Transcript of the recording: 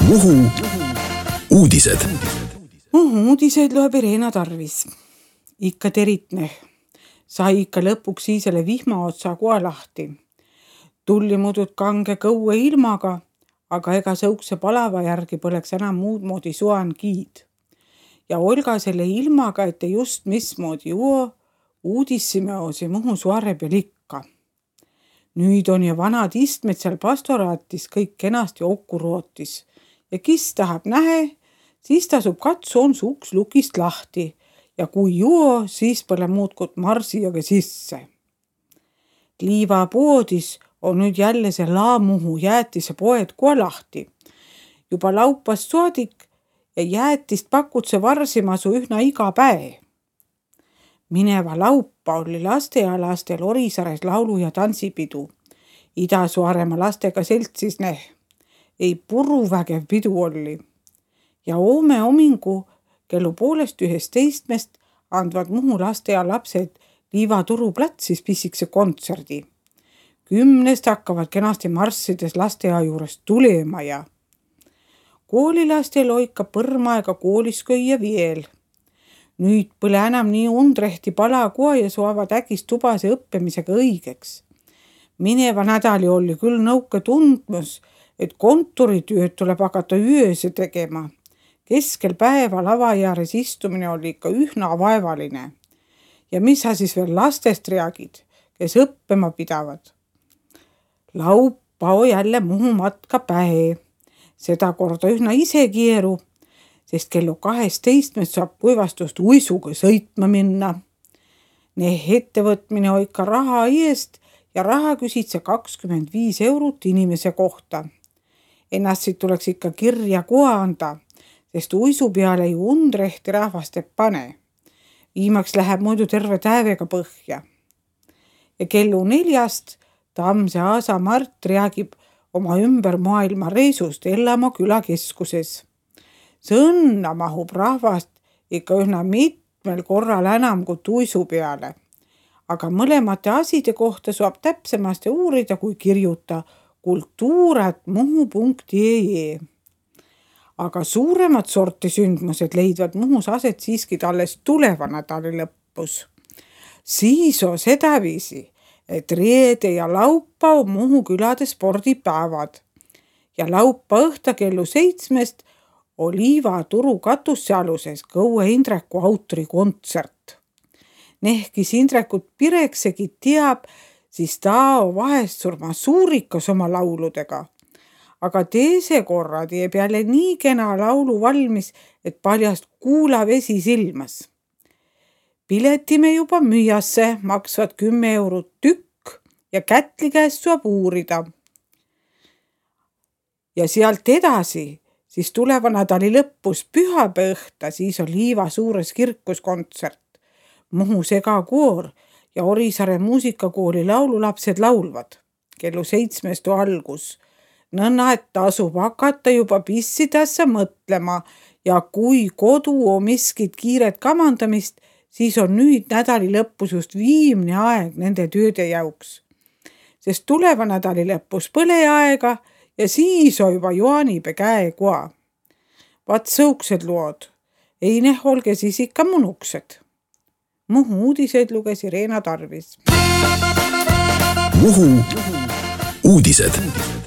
Muhu uudised. Muhu uudiseid loeb Irena Tarvis. Ikka teritne. Sai ikka lõpuks siisele vihmaotsa koa lahti. Tulli mudud kange kõue ilmaga, aga ega sõukse palava järgi põleks enam muud moodi suan kiid. Ja Olga selle ilmaga, ette just mismoodi uudissime osi Muhu suare peal ikka. Nüüd on ja vanad istmed seal pastoraatis kõik kenasti okku rootis. Ja kis tahab nähe, siis tasub katsu on su uks lukist lahti ja kui siis pole muudkut marsijaga sisse. Liivapoodis on nüüd jälle see Muhu jäätise poed kohe lahti. Juba laupast saadik ja jäätist pakutse varsimasu ühna iga päev. Mineva laupa oli lastealastel Orisares laulu- ja tantsipidu. Ida-Suaremaa lastega seltsis ei puruvägev pidu oli. Ja homme homingu kellu 12:30 andvad Muhu lastea lapsed Liivaturu platsis pissikse kontserdi. 10 hakkavad kenasti marssides lastea juures tulema ja koolilastel oika põrmaega koolis köia veel. Nüüd põle enam nii undrehti pala koa ja suavad äkis tubase õppimisega õigeks. Mineva nädali oli küll nõuke tundmus, et kontoritööd tuleb hakata ööse tegema. Keskel päeva lava jääres istumine oli ikka ühna vaevaline. Ja mis sa siis veel lastest reagid, kes õppima pidavad? Laupa jälle Muhu matka päe. Seda korda ühna ise kieru, sest kellu 12 saab kuivastust uisuga sõitma minna. Ettevõtmine oika raha eest ja raha küsitse 25 eurot inimese kohta. Ennast siit tuleks ikka kirja koha anda, sest uisu peale ju undrehti rahvast ei pane. Viimaks läheb muidu terve täevega põhja. Ja kellu 4 Tammse Aasa Mart räägib oma ümber maailma reisust Ellamaa külakeskuses. Sõnna mahub rahvast ikka ühna mitmel korral enam kui uisu peale. Aga mõlemate aside kohta saab täpsemasti uurida, kui kirjuta kultuurat.muhu.ee. Aga suuremad sorti sündmused leidvad Muhus aset siiski alles tuleva nädali lõppus. Siis on sedaviisi, et reede ja laupa on Muhu külade spordipäevad. Ja laupa õhta kellu 7 on Liivaturu katussealuses Kõue Indreku autorikontsert. Nehkis Indrekut Pireksegi teab, siis ta on vahest surma suurikas oma lauludega. Aga teise korra teeb jälle nii kena laulu valmis, et paljast kuulavesi silmas. Piletime juba müüasse, maksvad 10 eurot tükk ja Kätli käest saab uurida. Ja sealt edasi, siis tuleva nädali lõppus pühapäeva õhta, siis on Liiva suures kirkuskontsert. Muhu segakoor ja Orisaare muusikakooli laululapsed laulvad. Kellu 7 algus. Nõnna, et tasub hakata juba pissidassa mõtlema ja kui kodu on miskit kiiret kamandamist, siis on nüüd nädali lõppus just viimne aeg nende tööde jauks. Sest tuleva nädali lõppus põleaega ja siis on juba Joanipe käe koa. Vaat sõuksed lood. Ei olge siis ikka munuksed. Muhu uudiseid luges Irena Tarvis. Muhu uudised.